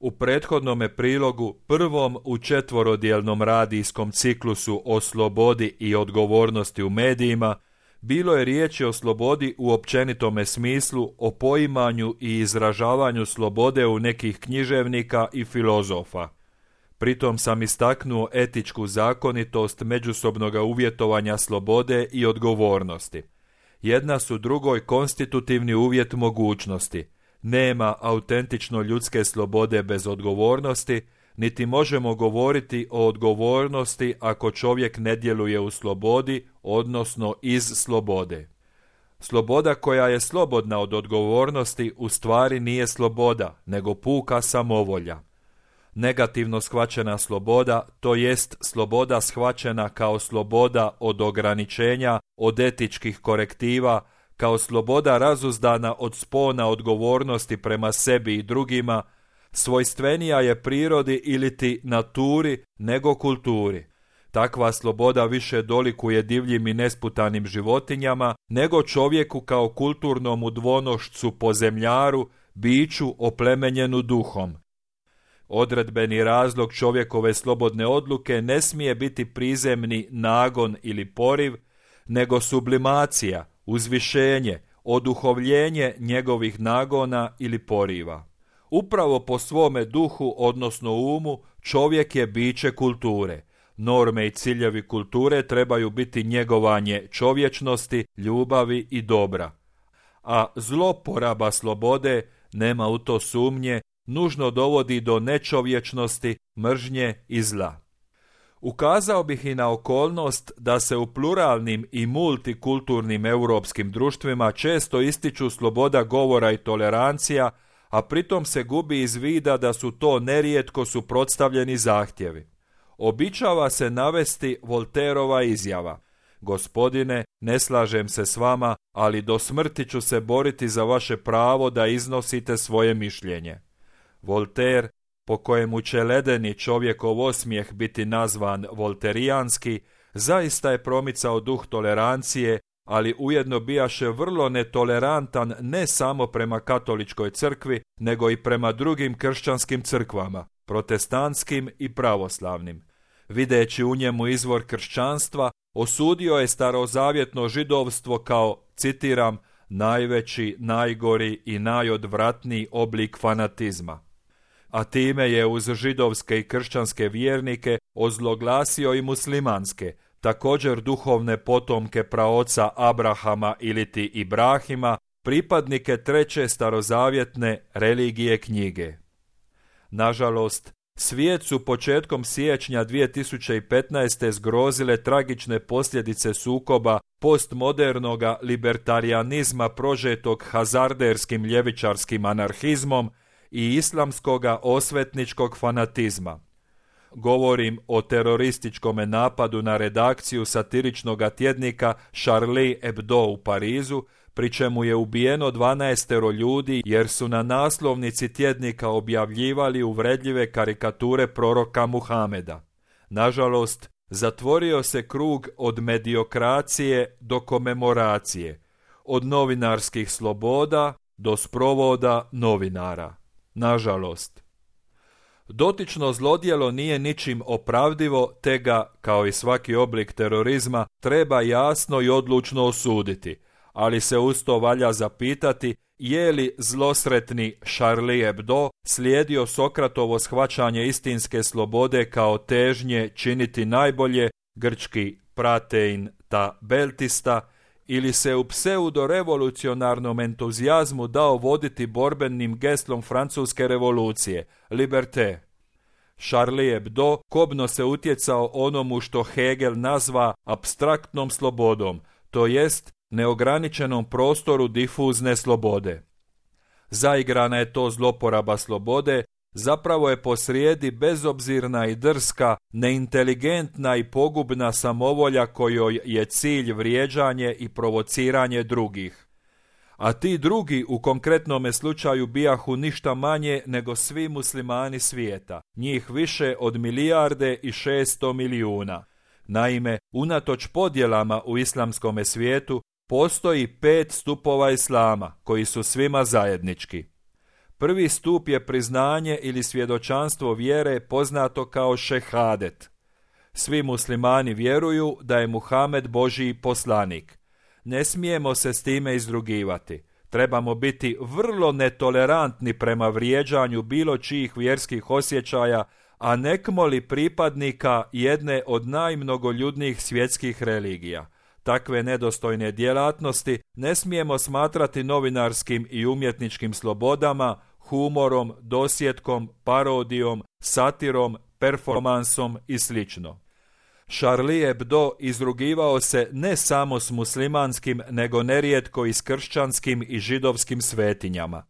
U prethodnome prilogu, prvom u četvorodjelnom radijskom ciklusu o slobodi i odgovornosti u medijima, bilo je riječi o slobodi u općenitome smislu, o poimanju i izražavanju slobode u nekih književnika i filozofa. Pritom sam istaknuo etičku zakonitost međusobnoga uvjetovanja slobode i odgovornosti. Jedna su drugoj konstitutivni uvjet mogućnosti. Nema autentično ljudske slobode bez odgovornosti, niti možemo govoriti o odgovornosti ako čovjek ne djeluje u slobodi, odnosno iz slobode. Sloboda koja je slobodna od odgovornosti u stvari nije sloboda, nego puka samovolja. Negativno shvaćena sloboda, to jest sloboda shvaćena kao sloboda od ograničenja, od etičkih korektiva, kao sloboda razuzdana od spona odgovornosti prema sebi i drugima, svojstvenija je prirodi iliti naturi nego kulturi. Takva sloboda više dolikuje divljim i nesputanim životinjama nego čovjeku kao kulturnom udvonošću po zemljaru, biću oplemenjenu duhom. Odredbeni razlog čovjekove slobodne odluke ne smije biti prizemni nagon ili poriv, nego sublimacija, uzvišenje, oduhovljenje njegovih nagona ili poriva. Upravo po svome duhu, odnosno umu, čovjek je biće kulture. Norme i ciljevi kulture trebaju biti njegovanje čovječnosti, ljubavi i dobra. A zloporaba slobode, nema u to sumnje, nužno dovodi do nečovječnosti, mržnje i zla. Ukazao bih i na okolnost da se u pluralnim i multikulturnim europskim društvima često ističu sloboda govora i tolerancija, a pritom se gubi iz vida da su to nerijetko suprotstavljeni zahtjevi. Običava se navesti Voltairova izjava: Gospodine, ne slažem se s vama, ali do smrti ću se boriti za vaše pravo da iznosite svoje mišljenje. Voltaire, po kojemu će ledeni čovjekov osmijeh biti nazvan volterijanski, zaista je promicao duh tolerancije, ali ujedno bijaše vrlo netolerantan ne samo prema katoličkoj crkvi, nego i prema drugim kršćanskim crkvama, protestantskim i pravoslavnim. Videći u njemu izvor kršćanstva, osudio je starozavjetno židovstvo kao, citiram, najveći, najgori i najodvratniji oblik fanatizma. A time je uz židovske i kršćanske vjernike ozloglasio i muslimanske, također duhovne potomke praoca Abrahama iliti Ibrahima, pripadnike treće starozavjetne religije knjige. Nažalost, svijet su početkom siječnja 2015. zgrozile tragične posljedice sukoba postmodernoga libertarijanizma prožetog hazarderskim ljevičarskim anarhizmom i islamskoga osvetničkog fanatizma. Govorim o terorističkom napadu na redakciju satiričnog tjednika Charlie Hebdo u Parizu, pri čemu je ubijeno 12 ljudi jer su na naslovnici tjednika objavljivali uvredljive karikature proroka Muhameda. Nažalost, zatvorio se krug od mediokracije do komemoracije, od novinarskih sloboda do sprovoda novinara. Nažalost. Dotično zlodjelo nije ničim opravdivo, te ga, kao i svaki oblik terorizma, treba jasno i odlučno osuditi, ali se uz to valja zapitati je li zlosretni Charlie Hebdo slijedio Sokratovo shvaćanje istinske slobode kao težnje činiti najbolje, grčki pratein ta beltista, ili se u pseudo-revolucionarnom entuzijazmu dao voditi borbenim geslom francuske revolucije, liberté. Charlie Hebdo kobno se utjecao onomu što Hegel nazva apstraktnom slobodom, to jest neograničenom prostoru difuzne slobode. Zaigrana je to zloporaba slobode, zapravo je posrijedi bezobzirna i drska, neinteligentna i pogubna samovolja kojoj je cilj vrijeđanje i provociranje drugih. A ti drugi u konkretnome slučaju bijahu ništa manje nego svi muslimani svijeta, njih više od 1,6 milijarde. Naime, unatoč podjelama u islamskome svijetu, postoji 5 stupova islama koji su svima zajednički. Prvi stup je priznanje ili svjedočanstvo vjere poznato kao šehadet. Svi muslimani vjeruju da je Muhamed Božji poslanik. Ne smijemo se s time izrugivati. Trebamo biti vrlo netolerantni prema vrijeđanju bilo čijih vjerskih osjećaja, a nekmoli pripadnika jedne od najmnogoljudnijih svjetskih religija. Takve nedostojne djelatnosti ne smijemo smatrati novinarskim i umjetničkim slobodama, humorom, dosjetkom, parodijom, satirom, performansom i sl. Charlie Hebdo izrugivao se ne samo s muslimanskim, nego nerijetko i s kršćanskim i židovskim svetinjama.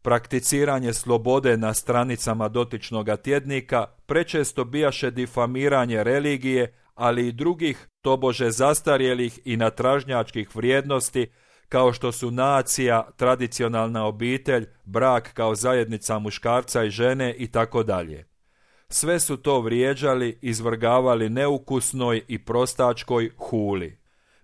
Prakticiranje slobode na stranicama dotičnoga tjednika prečesto bijaše difamiranje religije, ali i drugih tobože zastarjelih i natražnjačkih vrijednosti, kao što su nacija, tradicionalna obitelj, brak kao zajednica muškarca i žene itd. Sve su to vrijeđali, izvrgavali neukusnoj i prostačkoj huli.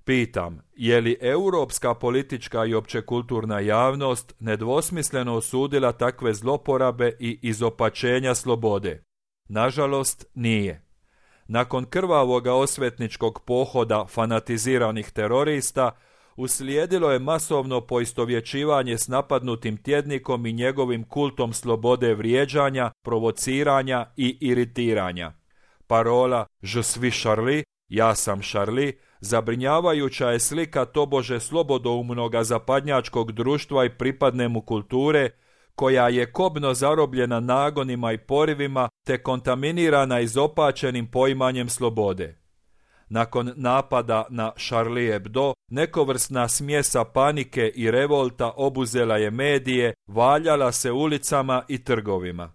Pitam, je li europska politička i općekulturna javnost nedvosmisleno osudila takve zloporabe i izopačenja slobode? Nažalost, nije. Nakon krvavoga osvetničkog pohoda fanatiziranih terorista, uslijedilo je masovno poistovjećivanje s napadnutim tjednikom i njegovim kultom slobode vrijeđanja, provociranja i iritiranja. Parola "Je suis Charlie", ja sam Charlie, zabrinjavajuća je slika tobože slobodoumnoga zapadnjačkog društva i pripadne mu kulture, koja je kobno zarobljena nagonima i porivima te kontaminirana izopačenim poimanjem slobode. Nakon napada na Charlie Hebdo, nekovrsna smjesa panike i revolta obuzela je medije, valjala se ulicama i trgovima.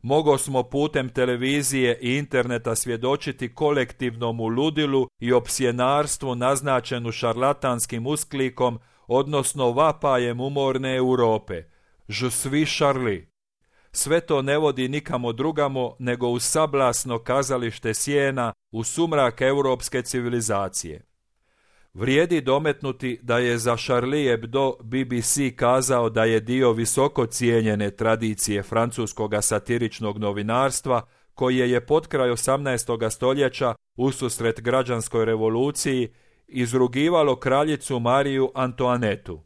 Mogo smo putem televizije i interneta svjedočiti kolektivnom ludilu i opsjenarstvu naznačenu šarlatanskim usklikom, odnosno vapajem umorne Europe. Je suis Charlie. Sve to ne vodi nikamo drugamo nego u sablasno kazalište sjena, u sumrak europske civilizacije. Vrijedi dometnuti da je za Charlie Hebdo BBC kazao da je dio visoko cijenjene tradicije francuskoga satiričnog novinarstva, koje je potkraj 18. stoljeća, ususret građanskoj revoluciji, izrugivalo kraljicu Mariju Antoanetu.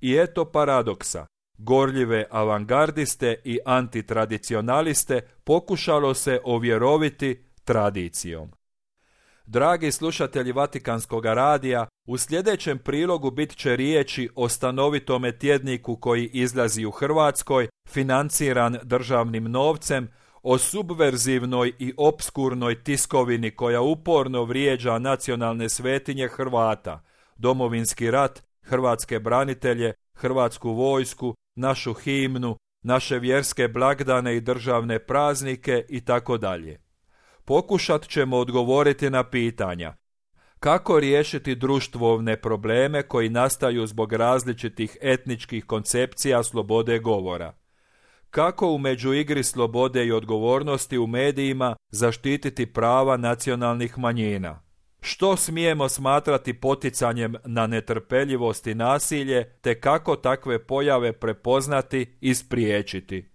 I eto paradoksa. Gorljive avangardiste i antitradicionaliste pokušalo se ovjeroviti tradicijom. Dragi slušatelji Vatikanskog radija, u sljedećem prilogu bit će riječi o stanovitome tjedniku koji izlazi u Hrvatskoj, financiran državnim novcem, o subverzivnoj i opskurnoj tiskovini koja uporno vrijeđa nacionalne svetinje Hrvata, Domovinski rat, hrvatske branitelje, Hrvatsku vojsku, našu himnu, naše vjerske blagdane i državne praznike itd. Pokušat ćemo odgovoriti na pitanja: kako riješiti društvovne probleme koji nastaju zbog različitih etničkih koncepcija slobode govora? Kako u međuigri slobode i odgovornosti u medijima zaštititi prava nacionalnih manjina? Što smijemo smatrati poticanjem na netrpeljivost i nasilje, te kako takve pojave prepoznati i spriječiti?